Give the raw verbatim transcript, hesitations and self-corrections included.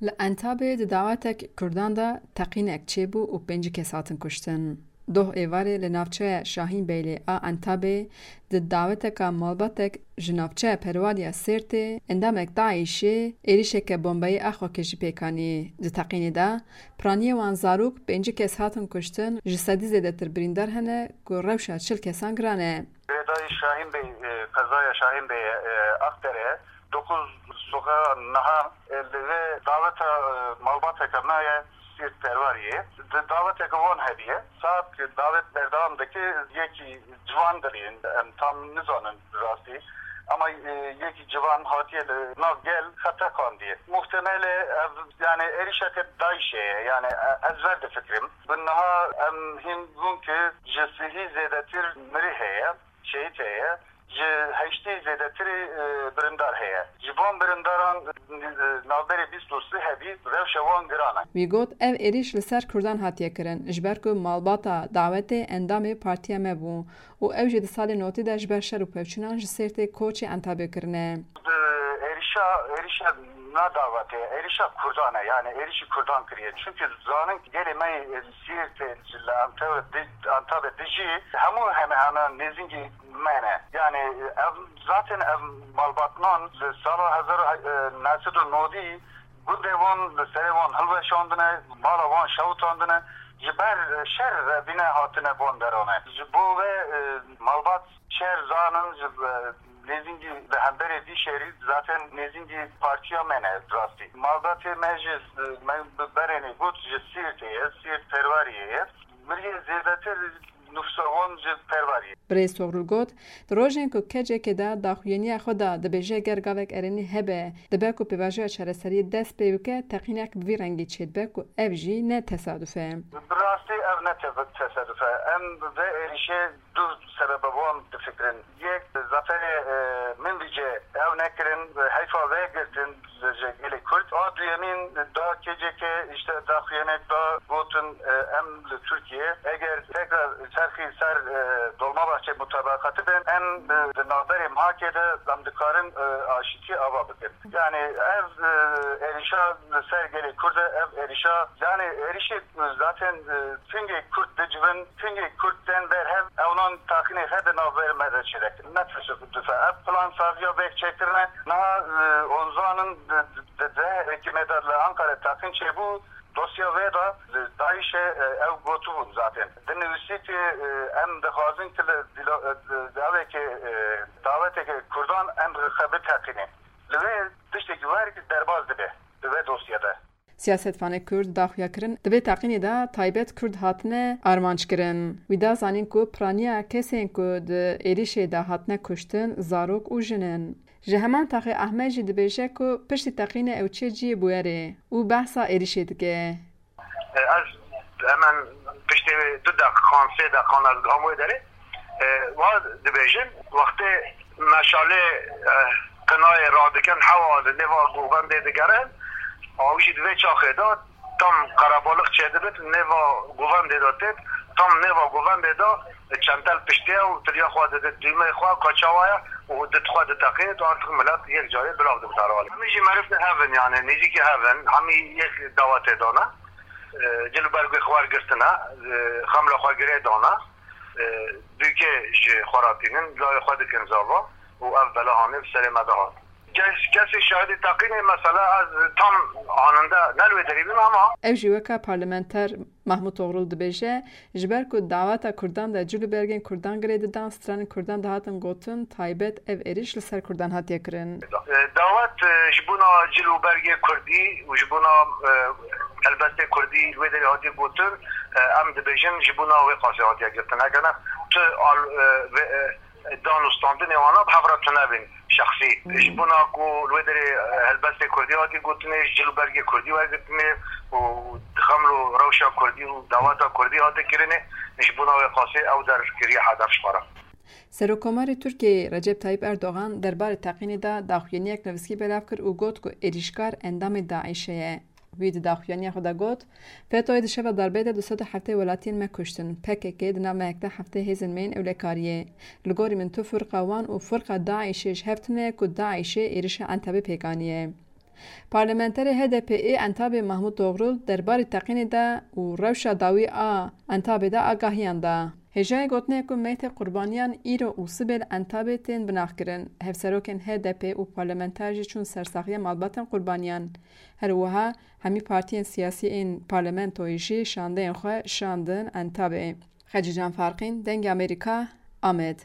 Li Entabê di dawetek Kurdan de teqînek çêbû û pêncî kes hatin kuştin. Doh êvarê li navçeya Şahînbeylê a Entabê di daweteka malbatek ji navçeya Perwariya Sêrtê endamek DAIŞê êrişeke bombeyî a xwekêjî pêk anî. Di teqînê de piraniyê wan zarok pêncî kes hatin kuştin, ji sedî zêdetir birîndar hene ku rewşa çil kesan giran e. Girêdayî Şahînbey, e, qezaya Şahînbeyê, e, Akdere, dokuz soxeya niha, e, li vê daweta, e, malbateke me ye, Sîrt Perwariyê. Di daweteke wan hebiye. Saet ki davet berdewam dike, yekî ciwan dilîn, em tam nizanin rastî. Ama, e, yekî ciwan hatiye li nav gel xeteqandiye. Muhtemele ev, yani êrişeke DAIŞê ye. Yani, e, ez ver difikirim. Bi niha em hîn bûn ki ji sihî zêdetir mirî heye. Şehîd heye, ji heştê zêdetirê, e, birindar heye. Ji van birindaran, e, navberê bîst û sê hebî rewşa wan giran e. Wî got, ev êrîş li ser Kurdan hatiye kirin, ji ber ku malbata dawetê endamê partiya me bû û ew jî di salê notî de ji ber şer û pevçûnan ji Sêrtê koçê Entabê kirine. Êrişa, êrişa na dawetê, êrişa Kurdan e, yani êrişî Kurdan kiriye. Çünkü zanin gelê me yê Sêrtê li Entabê di-, Entabê dijî hemû heme heme nêzîngî me ne. Yani ev, zaten ev malbatnan li sala hezar û neh sed û nodî gundê wan li serê wan hilweşandine, mala wan şewitandine, ji ber şer re bîne hatine van derane. Ji bo ve, e, malbat şer zanin, ji, e, nêzîngî li hemberê vî şerî zaten nêzîngî partiya me ne rastî. Malbatê me ji, e, me bi berênê got ji Sîrtê ye, Sîrt Perwariyê ye. Miriyê zêdetir nufsa wan ji Perwariyê. Birêz Togrul got, di rojên ku K C K de daxuyaniya xwe da dibêje ger gavek erênî hebe, dibe ku pêvajoya çareseriyê dest pê bike, teqînek bi vî rengî çêdibe ku ev jî ne tesaduf e. Bi rastî ev ne te-, tesaduf e. Em vê êrişê du sebebe wan difikirin. Yek, zaferê, e, Minbicê ew nekirin, heyfa vê girtin, ji gelê Kurd. A duyemîn da K C K, işte, daxuyaniyek da gotin, e, em li Tirkiye, eger tekrar çerxî ser, e, Dolmabahçe mutabaqatî bin, em, e, di navberê MHKê de em dikarin, e, aşîtî ava bikin. Yani ev, e, êrişa li ser gelê Kurd e, ev êrişa, yani êrişê zaten, e, pingê Kurd dicivin, pingê Kurd tên ber hev, ewnan taxînê xwe di navberê me de çêdikin. Ne tesaduf e. Ev plansaziya vê çêkirine, niha, e, onzanin di, di, di, di hikûmetê de li Ankara teqîn çêbû, dosya vê de li DAIŞê, e, ew gotibûn zaten. Di nivîsîtê, e, em dixwazin ki li dîlo-, e, di, di avekê, e, daweteke Kurdan em xwe biteqînin. Li vê tiştekî wer derbas dibe di vê dosyê de. Siyasetvanê Kurd daxuya kirin, di vê teqînê de taybet Kurd hatine armanc kirin. Wî da zanîn ku piraniya kesên ku di êrişê de hatine kuştin, zarok û jin in. Ji heman taxê Ahmed jî dibêje ku piştî teqînê ew çê cihê bûyerê û behsa êrişê dike. Ez hemen piştê wê du deqan, sê deqan ez gam wê derê. E, wa dibêjin, wextê meşalê, e, qinayê radikin, hewa li nêva govendê digerin, ew jî di vê çaxê de tam qerebalix çêdibit, nêva govendê de têt, tam nêva govendê de çentel piştê û tiriya xwe didit, dûmey xwe, ka çawa ye, û dit xwe diteqînit û artık milet yek carê bilav dibit herhalê. Hemî jî merivtê hev in, yani nêzîkî hev in, hemî yek dawetê dane. E, cil û bergê xwe wergirtine, e, xemla xwe girê dane, e, dûkê ji xwe re tînin, layê xwe dikin zava û ev bela hanê bi serê me de hat. Kes, kesê şahidê teqînê, mesela ez tam aninde ne li wê derê bîm ama. Ew jî weke parlamenter Mahmut Oğrul dibêje, ji ber ku daweta Kurdan de cil û bergên Kurdan girê didan, stranên Kurdan dihatin gotin, taybet ev êrîş li ser Kurdan hatiye kirin. E, dawet, e, ji bona cil û bergê Kurdî û ji bona, e, helbestê Kurdî li wê derê hatiye gotin, e, em dibêjin ji bona wê qasê hatiye girtin. Eger ne tu al-, e, vê, e, dan û standinê wana bi hev re tune bin şexsî. Hmm. Ji bona ku li wê derê, e, helbestê Kurdî hatiye gotinê, ji cil û bergê Kurdî wergirtinê û xeml û rewşa Kurdî û daweta Kurdî hate kirinê, ji bona wê qasê ew der kiriye hedef ji xwe re. Serokkomarê Tirkiyeyê Recep Tayyip Erdogan derbarê teqînê de daxuyaniyek nivîskî belav kir û got ku êrîşkar endamê DAIŞê ye. Wî di daxuyaniya xwe de got, FETÖ'yê di şeva darbeyê de du sed û heftê welatiyên me kuştin. PKK di nav mehek de heftê hêzên me yên ewlekariyê. Li gorî min tu firqa wan û firqa DAIŞê ji hev tune ye ku DAIŞê êrişa Entebê pêk aniye. Parlamenterê H D P ê Entabê Mahmut Doğrul derbarê teqînê de û rewşa dawî a Entabê de agahiyan da. Hêjayê gotinê ku meytê qurbaniyan îro û sibê li Entabê tên binaxkirin. Hevserokên H D P û parlamenter jî çûn ser saxiya malbatên qurbaniyan. Her wiha hemî partiyên siyasî ên parlamentoyê jî şandeyên xwe şandin Entabê. Xecîcan Farqîn, Dengê Amerîka, Amed.